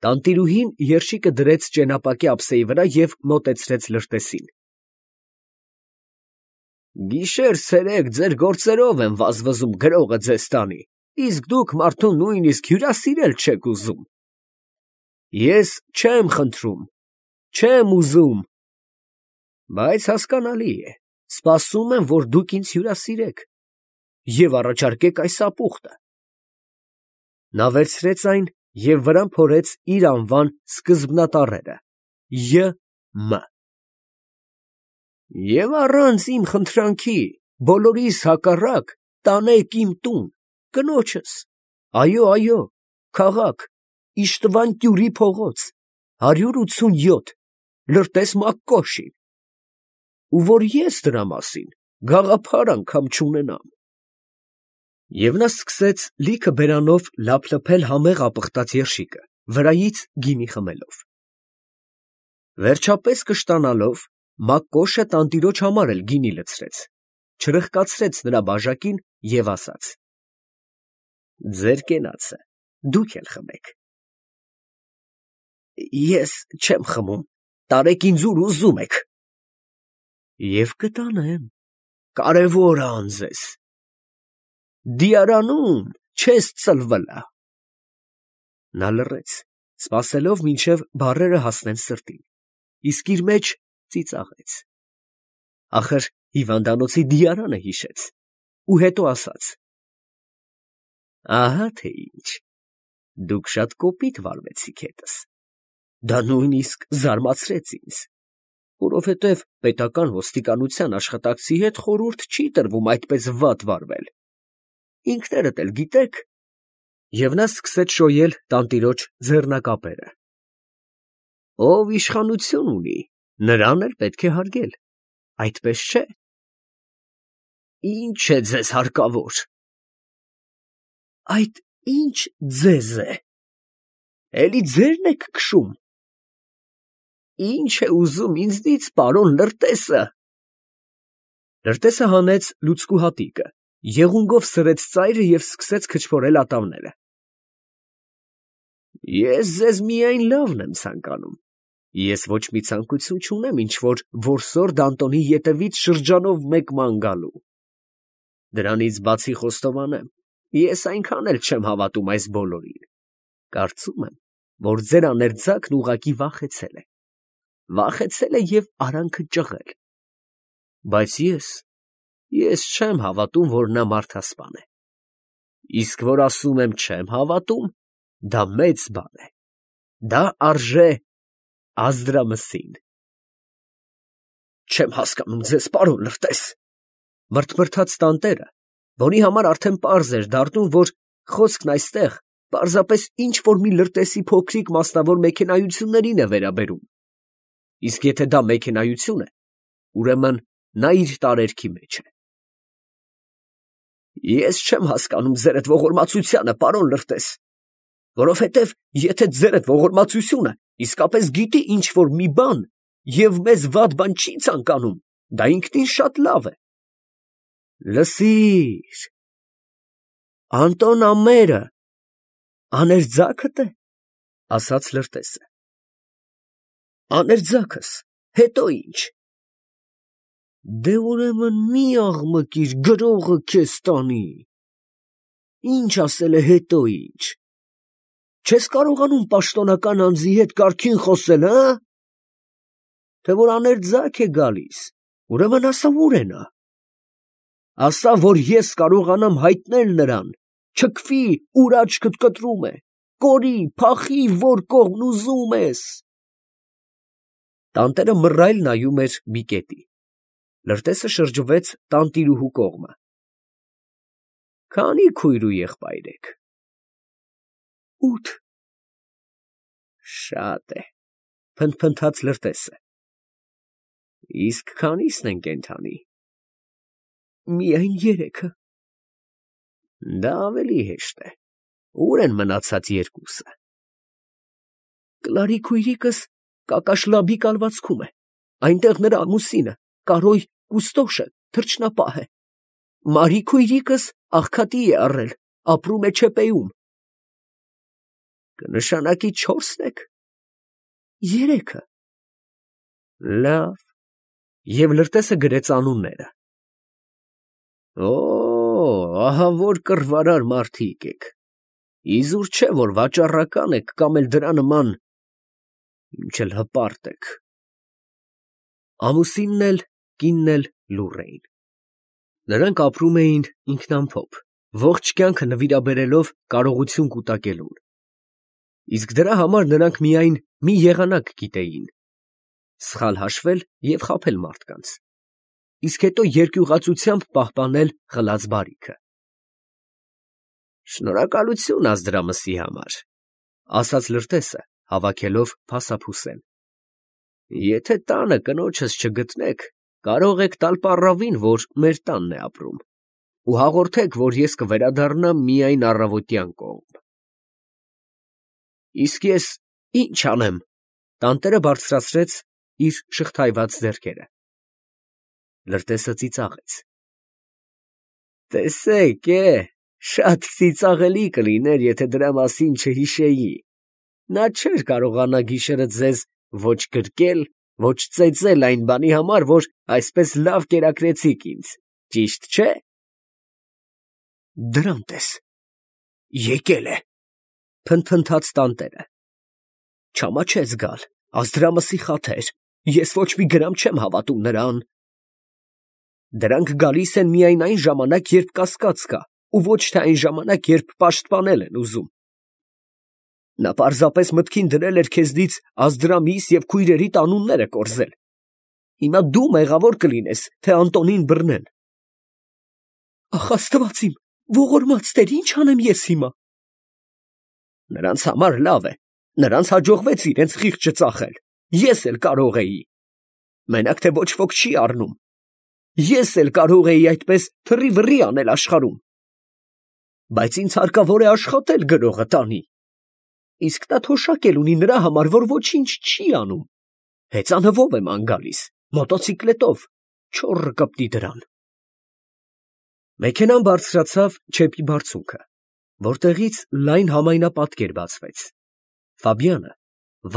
Տանտիրուհին երշիկը դրեց ճենապակի ափսեի վրա և մոտեցրեց լրտեսին։ Գիշեր֊ցերեկ ձեր գործերով եմ վազվզում գրողը ձեզ տանի, իսկ դուք մարդուն նույնիսկ հյուրասիրել չեք ուզում։ Ես չեմ խնդրում, չեմ ուզում, բայց հասկանալի է, սպասում եմ, որ դուք ինձ հյուրասիրեք և առաջարկեք այս ապուխտը։ Նա վերցրեց այն և վրան փորեց իր անվան սկզբնատառերը Յ.Մ. Եվ առանց իմ խնդրանքի, բոլորիս հակառակ, տանեք իմ տուն, կնոջս, այո, քաղաք, Իշտվան Տյուրի փողոց, 187, Լրտես Մակկոշին, ու որ ես դրա մասին գաղափար անգամ չունենամ։ Եվ նա սկսեց լիքը բերանով լափլփել համեղ ապխտած երշիկը, վրայից գինի խմելով։ Վերջապես կշտանալով, Մակկոշը տանտիրոջ համար էլ գինի լցրեց, չրխկացրեց նրա բաժակին և ասաց. ձեր կենացը դուք էլ խմեք։ Ես չեմ խմում, տարեք ինձ ուր ուզում եք։ Եվ կտանեմ, կարևոր է անձես։ Դիարանում չես ծլվլա։ Նա լռեց, սպասելով, մինչև բառերը հասնեն սրտին, իսկ իր մեջ ծիծաղեց։ Ախր հիվանդանոցի դիարանը հիշեց ու հետո ասաց. ահա թե ինչ, դուք շատ կոպիտ վարվեցիք հետս, դա նույնիսկ զարմացրեց ինձ, որովհետև պետական ոստիկանության աշխատակցի հետ խորհուրդ չի տրվում այդպես վատ վարվել, ինքներդ էլ գիտեք, և նա սկսեց շոյել տանտիրոջ ձեռնակապերը։ Ով իշխանություն ունի, նրան էլ պետք է հարգել, այդպես չէ։ Ինչ է ձեզ հարկավոր։ Այդ ինչ ձեզ է, էլի ձերն եք քշում։ Ինչ է ուզում ինձնից պարոն Լրտեսը։ Լրտեսը հանեց լուցկու հատիկը, եղունգով սրեց ծայրը և սկսեց քչփորել ատամները։ Ես ձեզ միայն լավն եմ ցանկանում, ես ոչ մի ցանկություն չունեմ ինչ֊որ որսոր Դանտոնի ետևից շրջանով մեկ ման գալու։ Դրանից բացի խոստովանեմ, ես այնքան էլ չեմ հավատում այս բոլորին, կարծում եմ, որ ձեր աներձակն ուղղակի վախեցել է և արանքը ճղել, բայց ես չեմ հավատում, որ նա մարդասպան է, իսկ որ ասում եմ չեմ հավատում, դա մեծ բան է, դա արժե Ազդրամսին։ Չեմ հասկանում ձեզ, պարոն Լրտես, մրթմրթաց տանտերը, որի համար արդեն պարզ էր դառնում, որ խոսքն այստեղ պարզապես ինչ֊որ մի Լրտեսի փոքրիկ մասնավոր մեքենայություններին է վերաբերում, իսկ եթե դա մեքենայություն է, ուրեմն նա իր տարերքի մեջ է։ Ես չեմ հասկանում ձերդ ողորմածությանը, պարոն Լրտես, որովհետև եթե ձերդ ողորմածությունը իսկապես գիտի ինչ֊որ մի բան և մեզ վատ բան չի ցանկանում, դա ինքնին շատ լավ է։ Լսիր, Անտոն ամերը աներձա՞քդ է, ասաց Լրտեսը։ Աներձակս, հետո ի՞նչ։ Դե ուրեմն մի աղմկիր, գրողը քեզ տանի։ Ինչ ասել է հետո ի՞նչ։ Չես կարողանում պաշտոնական անձի հետ կարգին խոսել, հը՞։ Թե որ աներձակ է գալիս, ուրեմն ասա ուր է նա։ Ասա, որ ես կարողանամ հայտնել նրան, չքվի, ուր աչքդ կտրում է, կորի, փախի, որ կողմն ուզում ես։ Տանտերը մռայլ նայում էր մի կետի։ Լրտեսը շրջվեց տանտիրուհու կողմը։ Քանի՞ քույր ու եղբայր եք։ 8։ Շատ է, փնթփնթաց Լրտեսը։ Իսկ քանիսն են կենդանի։ Միայն 3-ը։ Դա ավելի հեշտ է։ Ուր են մնացած 2-ը։ Կլարի քույրիկս Կակաշլաբի կալվածքում է, այնտեղ նրա ամուսինը, Կարոյ Կուստոշը, թռչնապահ է։ Մարի քույրիկս աղքատի է առել, ապրում է Չեպեում։ Կնշանակի 4-ն եք։ 3-ը։ Լավ։ Եվ լրտեսը գրեց անունները։ Օ, ահա որ կռվարար մարդիկ եք։ Իզուր չէ, որ վաճառական եք կամ էլ դրա նման, ինչ էլ հպարտ եք։ Ամուսինն էլ, կինն էլ լուռ էին։ Նրանք ապրում էին ինքնամփոփ, ողջ կյանքը նվիրաբերելով կարողություն կուտակելուն։ Իսկ դրա համար նրանք միայն մի եղանակ գիտեին. սխալ հաշվել և խաբել մարդկանց, իսկ հետո երկյուղածությամբ պահպանել խլած բարիքը։ Շնորհակալություն Ազդրամսի համար, ասաց լրտեսը, հավաքելով փասափուսեն։ Եթե տանը կնոջս չգտնեք, կարող եք տալ պառավին, որ մեր տանն է ապրում, ու հաղորդեք, որ ես կվերադառնամ միայն առավոտյան կողմ։ Իսկ ես ի՞նչ անեմ, տանտերը բարձրացրեց իր շղթայված ձեռքերը։ Լրտեսը ծիծաղեց։ Տեսեք, շատ ծիծաղելի կլիներ, եթե դրա մասին չհիշեի։ Նա չէր կարողանա գիշերը ձեզ ոչ գրկել, ոչ ծեծել այն բանի համար, որ այսպես լավ կերակրեցիք ինձ, ճիշտ չէ։ Դրանց ես, եկել է, փնթփնթաց տանտերը։ Չամաչեց գալ, Ազդրամսի խաթեր, ես ոչ մի գրամ չեմ հավատում նրան։ Դրանք գալիս են միայն այն ժամանակ, երբ կասկած կա, ու ոչ թե այն ժամանակ, երբ պաշտպանել են ուզում։ Նա պարզապես մտքին դրել էր քեզնից Ազդրամիս և քույրերիդ անունները կորզել։ Հիմա դու մեղավոր կլինես, թե Անտոնին բռնեն։ Ախ, Աստված իմ, ողորմած Տեր, ինչ անեմ ես հիմա։ Նրանց համար լավ է, նրանց հաջողվեց իրենց խիղճը ծախել, ես էլ կարող էի։ Մենակ թե ոչ ոք չի առնում։ Ես էլ կարող էի այդպես թռի-վռի անել աշխարհում։ Բայց ինձ հարկավոր է աշխատել գրողը տանի։ Իսկ նա թոշակ էլ ունի նրա համար, որ ոչինչ չի անում։ Հեծանվով եմ անգալիս, մոտոցիկլետով, չոռը կպտի դրան։ Մեքենան բարձրացավ չեպի բարձունքը, որտեղից լայն համայնապատկեր բացվեց։ Ֆաբյանը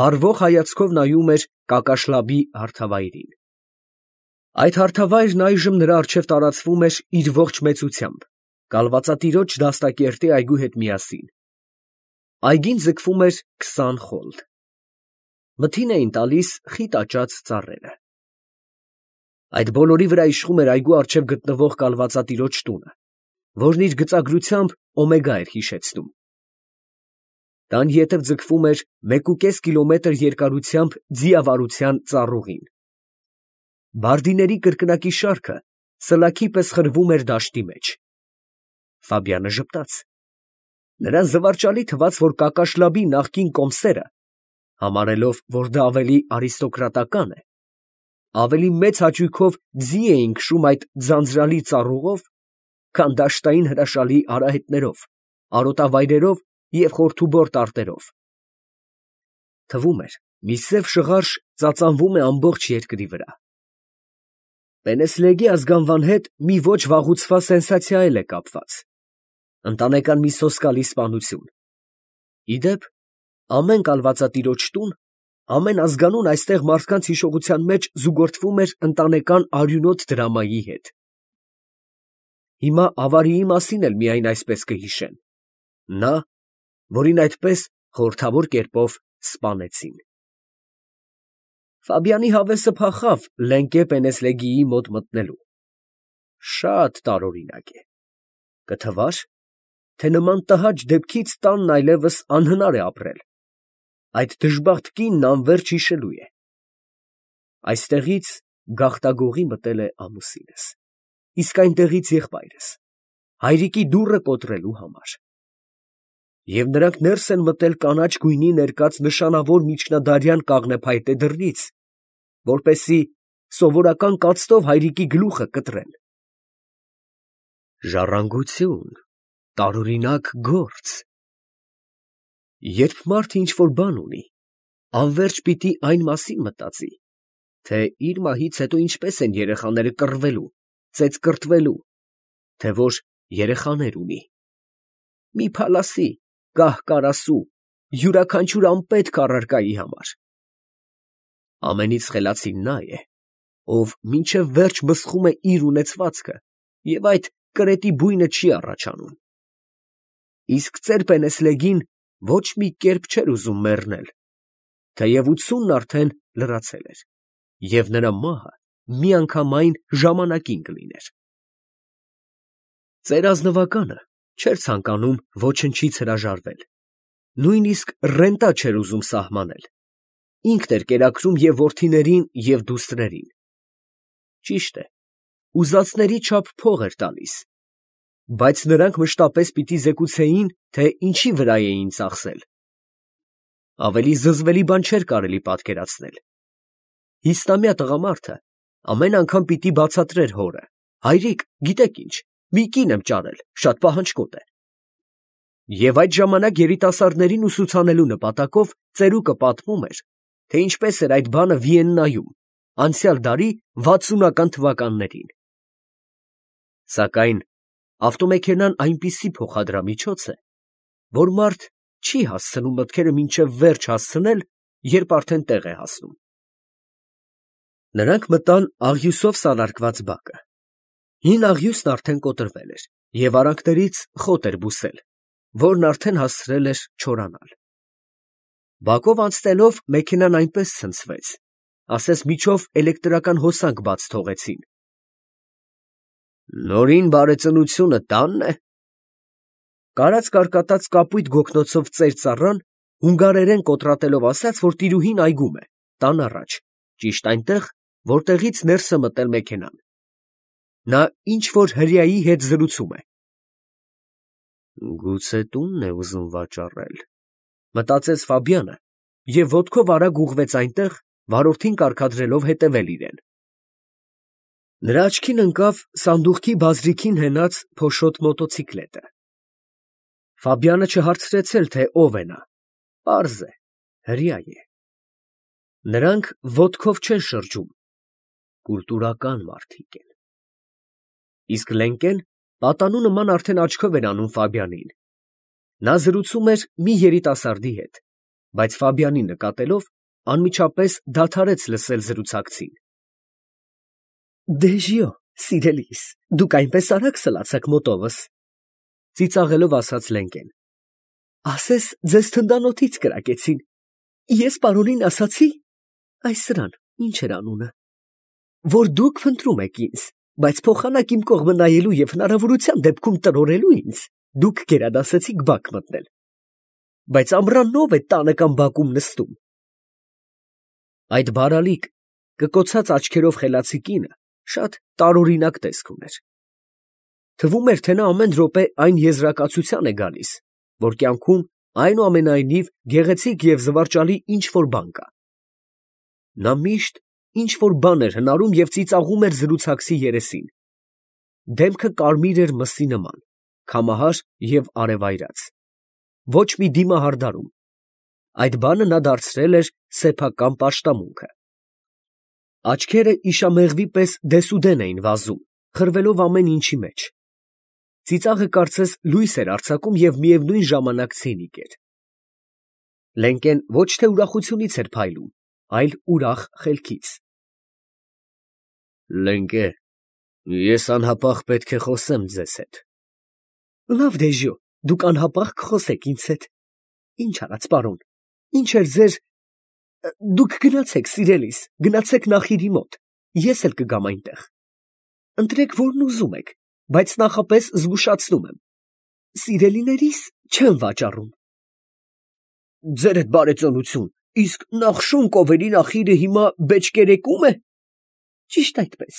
վառվող հայացքով նայում էր Կակաշլաբի հարթավայրին։ Այդ հարթավայրն այժմ նրա առջև տարածվում էր իր ողջ մեծությամբ, կալվածատիրոջ դաստակերտի այգու հետ միասին։ Այգին ձգվում էր 20 խոլդ։ Մթին էին տալիս խիտ աճած ծառերը։ Այդ բոլորի վրա իշխում էր այգու առջև գտնվող կալվածատիրոջ տունը, որն իր գծագրությամբ օմեգա էր հիշեցնում։ Տան ետև ձգվում էր 1,5 կիլոմետր երկարությամբ ձիավարության ծառուղին։ Բարդիների կրկնակի շարքը սլաքի պես խրվում էր դաշտի մեջ։ Ֆաբյանը ժպտաց։ Նրան զվարճալի թվաց, որ Կակաշլաբի նախկին կոմսերը, համարելով, որ դա ավելի արիստոկրատական է, ավելի մեծ հաճույքով ձի էին քշում այդ ձանձրալի ծառուղով, քան դաշտային հրաշալի արահետներով, արոտավայրերով և խորթուբոր տարտերով։ Թվում էր, մի սև շղարշ ծածանվում է ամբողջ երկրի վրա։ Պենեսլեգի ազգանվան հետ մի ոչ վաղուցված սենսացիա էլ է կապված։ Ընտանեկան մի սոսկալի սպանություն։ Ի դեպ, ամեն կալվածատիրոջ տուն, ամեն ազգանուն այստեղ մարդկանց հիշողության մեջ զուգորդվում էր ընտանեկան արյունոտ դրամայի հետ։ Հիմա ավարիի մասին էլ միայն այսպես կհիշեն։ Նա, որին այդպես խորհրդավոր կերպով սպանեցին։ Ֆաբյանի հավեսը փախավ Լենկե Պենեսլեգիի մոտ մտնելու։ Շատ տարօրինակ է։ Կթվար, թե նման տհաճ դեպքից տանն այլևս անհնար է ապրել։ Այդ դժբախտ կինն անվերջ հիշելու է։ Այստեղից գաղտագողի մտել է ամուսինս, իսկ այնտեղից եղբայրս, հայրիկի դուռը կոտրելու համար։ Եվ նրանք ներս են մտել կանաչ գույնի ներկած նշանավոր միջնադարյան կաղնեփայտե դռնից, որպեսզի սովորական կացտով հայրիկի գլուխը կտրեն։ Ժառանգություն, տարօրինակ գործ։ Երբ մարդը ինչ-որ բան ունի, անվերջ պիտի այն մասին մտածի, թե իր մահից հետո ինչպես են երեխաները կռվելու, ծեծկռտվելու, թե որ երեխաներ ունի։ Մի փալասի, կահ֊կարասու, յուրաքանչյուր անպետք առարկայի համար։ Ամենից խելացին նա է, ով մինչև վերջ մսխում է իր ունեցվածքը և այդ կրետի բույնը չի առաջանում։ Իսկ ծեր Պենեսլեգին ոչ մի կերպ չէր ուզում մեռնել, թեև 80-ն արդեն լրացել էր, և նրա մահը միանգամայն ժամանակին կլիներ։ Ծեր ազնվականը չէր ցանկանում ոչնչից հրաժարվել, նույնիսկ ռենտա չէր ուզում սահմանել, ինքն էր կերակրում և որդիներին, և դուստրերին։ Ճիշտ է, ուզածների չափ փող էր տալիս, բայց նրանք մշտապես պիտի զեկուցեին, թե ինչի վրա էին ծախսել։ Ավելի զզվելի բան չէր կարելի պատկերացնել։ 50-ամյա տղամարդը ամեն անգամ պիտի բացատրեր հորը. «Հայրիկ, գիտեք ինչ, մի կին եմ ճարել, շատ պահանջկոտ է»։ Եվ այդ ժամանակ երիտասարդներին ուսուցանելու նպատակով ծերուկը պատմում էր, թե ինչպես էր այդ բանը Վիեննայում, անցյալ դարի 60-ական թվականներին։ Սակայն ավտոմեքենան այնպիսի փոխադրամիջոց է, որ մարդ չի հասցնում մտքերը մինչև վերջ հասցնել, երբ արդեն տեղ է հասնում։ Նրանք մտան աղյուսով սալարկված բակը։ Հին աղյուսն արդեն կոտրվել էր և արանքներից խոտ էր բուսել, որն արդեն հասցրել էր չորանալ։ Բակով անցնելով մեքենան այնպես ցնցվեց, ասես միջով էլեկտրական հոսանք բաց թողեցին։ «Նորին բարեծնությունը տա՞նն է»։ Կարած կարկատած կապույտ գոգնոցով ծեր ծառան հունգարերեն կոտրատելով ասաց, որ տիրուհին այգում է, տան առաջ, ճիշտ այնտեղ, որտեղից ներս է մտել մեքենան։ Նա ինչ֊որ հրեայի հետ զրուցում է։ «Գուցե տունն է ուզում վաճառել», մտածեց Ֆաբյանը և ոտքով արագ ուղղվեց այնտեղ, վարորդին կարգադրելով հետևել իրեն։ Նրա աչքին ընկավ սանդուղքի բազրիքին հենած փոշոտ մոտոցիկլետը։ Ֆաբյանը չհարցրեց էլ, թե ով է նա, պարզ է, հրեա է։ Նրանք ոտքով չեն շրջում, կուլտուրական մարդիկ են։ Իսկ Լենկեն պատանու նման արդեն աչքով էր անում Ֆաբյանին։ Նա զրուցում էր մի երիտասարդի հետ, բայց Ֆաբյանին նկատելով, անմիջապես դադարեց լսել զրուցակցին։ «Դեժիո, սիրելիս, դուք այնպես արագ սլացաք մոտովս, ֊ ծիծաղելով ասաց Լենկեն։ Ասես ձեզ թնդանոթից կրակեցին։ Ես պարոնին ասացի, այս սրան, ինչ էր անունը, որ դուք փնտրում եք ինձ, բայց փոխանակ իմ կողմը նայելու և հնարավորության դեպքում տրորելու ինձ, դուք գերադասեցիք բակ մտնել։ Բայց ամռանն ո՞վ է տանը կամ բակում նստում։ Այդ բարալիկ, կկոցած աչքերով խելացի կինը շատ տարօրինակ տեսք ուներ։ Թվում էր, թե նա ամեն րոպե այն եզրակացության է գալիս, որ կյանքում այնուամենայնիվ գեղեցիկ և զվարճալի ինչ֊որ բան կա։ Նա միշտ ինչ֊որ բան էր հնարում և ծիծաղում էր զրուցակցի երեսին։ Դեմքը կարմիր էր մսի նման, քամահար և արևայրած, ոչ մի դիմահարդարում։ Այդ բանը նա դարձրել էր սեփական պաշտամունքը։ Աչքերը իշամեղվի պես դեսուդեն էին վազում, խրվելով ամեն ինչի մեջ։ Ծիծաղը կարծես լույս էր արձակում և միևնույն ժամանակ ցինիկ էր։ Լենկեն ոչ թե ուրախությունից էր փայլում, այլ ուրախ խելքից։ Լենկե, ես անհապաղ պետք է խոսեմ ձեզ հետ։ Լավ, Դեժո, դուք անհապաղ կխոսեք ինձ հետ։ Ինչ արած, պարոն, ինչ էր ձեր… Դուք գնացեք, սիրելիս, գնացեք նախիրի մոտ, ես էլ կգամ այնտեղ։ Ընտրեք, որն ուզում եք, բայց նախապես զգուշացնում եմ, սիրելիներիս չեմ վաճառում։ Ձերդ բարեծանություն, իսկ Նախշոն կովերի նախիրը հիմա բեճկերեկու՞մ է։ Ճիշտ այդպես։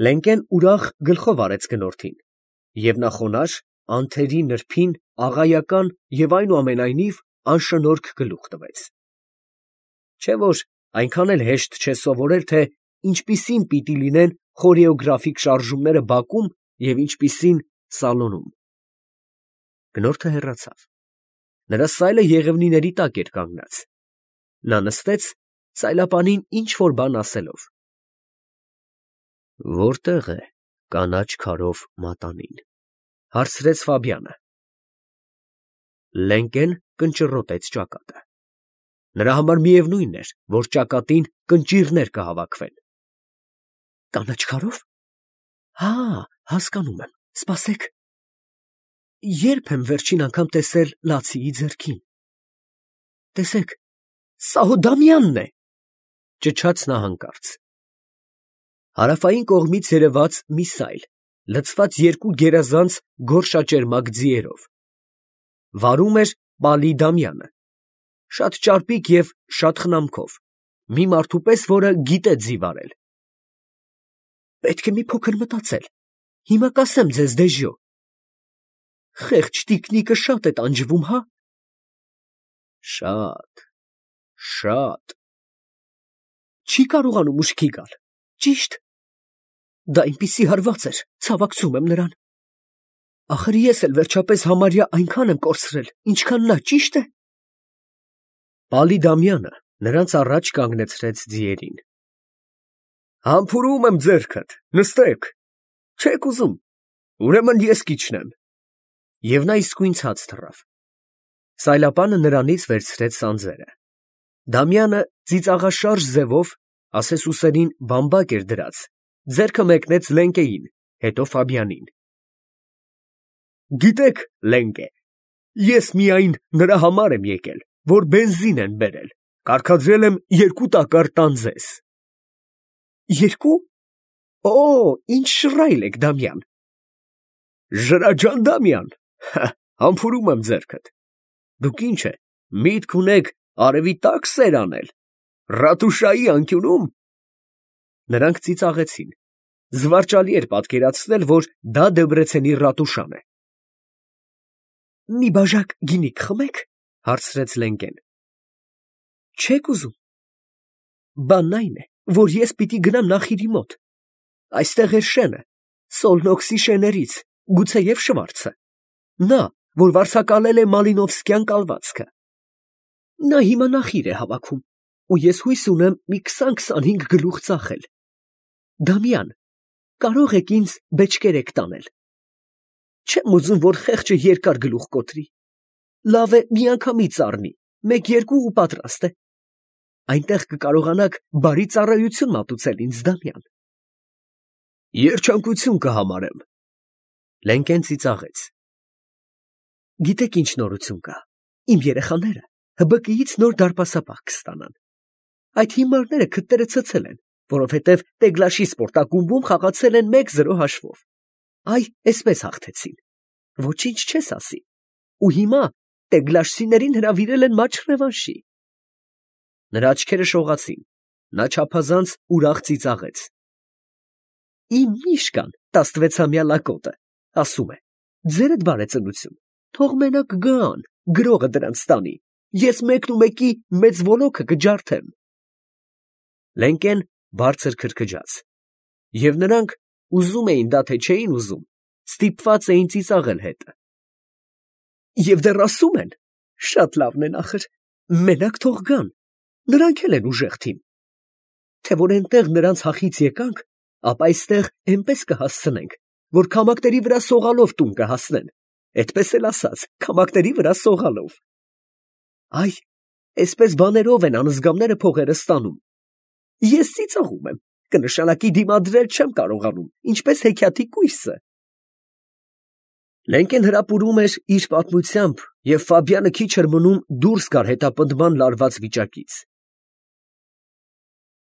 Լենկեն ուրախ գլխով արեց գնորդին, և նա խոնարհ, անթերի նրբին, աղայական և այնուամենայնիվ անշնորհք գլուխ տվեց։ Չէ՞ որ այնքան էլ հեշտ չէ սովորել, թե ինչպիսին պիտի լինեն խորեոգրաֆիկ շարժումները բակում և ինչպիսին սալոնում։ Գնորդը հեռացավ։ Նրա սայլը եղևնիների տակ էր կանգնած։ Նա նստեց, սայլապանին ինչ֊որ բան ասելով։ Որտե՞ղ է կանաչ քարով մատանին, ֊ հարցրեց Ֆաբյանը։ Լենկեն կնճռոտեց ճակատը։ Նրա համար միևնույն էր, որ ճակատին կնճիռներ կհավաքվեն։ Կանաչ քարով։ Հա, հասկանում եմ, սպասեք։ Երբ եմ վերջին անգամ տեսել լացիի ձեռքին։ Տեսեք, սա հո Դամյանն է, ճչաց նա հանկարծ։ Հարավային կողմից երևաց մի սայլ, լցված երկու գերազանց գորշաճերմակ ձիերով։ Վարում էր Պալի Դամյանը, շատ ճարպիկ և շատ խնամքով, մի մարդու պես, որը գիտե ձի վարել։ Պետք է մի փոքր մտածել, հիմա կասեմ ձեզ դեժյո։ Խեղճ տիկնիկը շատ է տանջվում, հա։ Շատ։ Չի կարողանում ուշքի գալ, ճիշտ։ Դա այնպիսի հարված էր, ցավակցում եմ նրան։ Ախր ես էլ վերջապես համարյա այնքան եմ կորցրել, ինչքան նա, ճիշտ է։ Պալի Դամյանը նրանց առաջ կանգնեցրեց ձիերին։ Համբուրում եմ ձեռքդ, նստեք, չեք ուզում, ուրեմն ես կիջնեմ։ Եվ նա իսկույն ցած թռավ։ Սայլապանը նրանից վերցրեց սանձերը։ Դամյանը ծիծաղաշարժ ձևով, ասես ուսերին բամբակ էր դրած, ձեռքը մեկնեց Լենկեին, հետո Ֆաբյանին։ Գիտեք, Լենկե, ես միայն նրա համար եմ եկել, որ բենզին են բերել, կարգադրել եմ 2 տակառ տան ձեզ։ 2? Օ, ինչ շռայլ եք, Դամյան։ Ժրաջան Դամյան, համբուրում եմ ձեռքդ։ Դուք ինչ է, միտք ունեք արևի տակ սեր անել, Ռատուշայի անկյունում։ Նրանք ծիծաղեցին։ Զվարճալի էր պատկերացնել, որ դա Դեբրեցենի Ռատուշան է։ Մի բաժակ գինի կխմեք, հարցրեց Լենկեն։ Չեք ուզում։ Բանն այն է, որ ես պիտի գնամ նախիրի մոտ։ Այստեղ էր շենը, Սոլնոքսի շեներից, գուցեև Շվարցը։ Նա, որ վարձակալել է Մալինովսկյան կալվածքը։ Նա հիմա նախիր է հավաքում, ու ես հույս ունեմ մի 20-25 գլուխ ծախել։ Դամյան, կարող եք ինձ բեչկերեք տանել։ Չեմ ուզում, որ խեղճը երկար գլուխ կոտրի։ Լավ է միանգամից առնի, 1-2 ու պատրաստ է։ Այնտեղ կկարողանաք բարի ծառայություն մատուցել ինձ, Դամյան։ Երջանկություն կհամարեմ։ Լենկեն ծիծաղեց։ Գիտեք ինչ նորություն կա։ Իմ երեխաները ՀԲԿ-ից նոր դարպասապահ կստանան։ Այդ հիմարները քթերը ցցել են, որովհետև Տեգլաշի սպորտակումբում խաղացել են 1-0 հաշվով։ Այ, էսպես հաղթեցին։ Ոչինչ չես ասի։ Ու հիմա Տեգլաշցիներին հրավիրել են մատչ ռևանշի։ Նրա աչքերը շողացին։ Նա չափազանց ուրախ ծիծաղեց։ Իմ միշկան 16-ամյա լակոտը, ասում է, ձերդ բարեծնություն, թող մենակ գան, գրողը դրանց տանի, ես մեկնումեկի մեծ ոլոքը կջարդեմ։ Լենկեն բարձր քրքջաց։ Եվ նրանք ուզում էին դա թե չէին ուզում, ստիպված էին ծիծաղել հետը։ Եվ դեռ ասում են, շատ լավն են ախր, մենակ թող գան, նրանք էլ են ուժեղ թիմ։ Թե որ այնտեղ նրանց հախից եկանք, ապա այստեղ այնպես կհասցնենք, որ քամակների վրա սողալով տուն կհասնեն, այդպես էլ ասած, քամակների վրա սողալով։ Այ, այսպես բաներով են անզգամները փողերը ստանում։ Ես ծիծաղում եմ, կնշանակի դիմադրել չեմ կարողանում, ինչպես հեքիաթի կույսը։ Լենկեն հրապուրում էր իր պատմությամբ, և Ֆաբյանը քիչ էր մնում դուրս գար հետապնդման լարված վիճակից։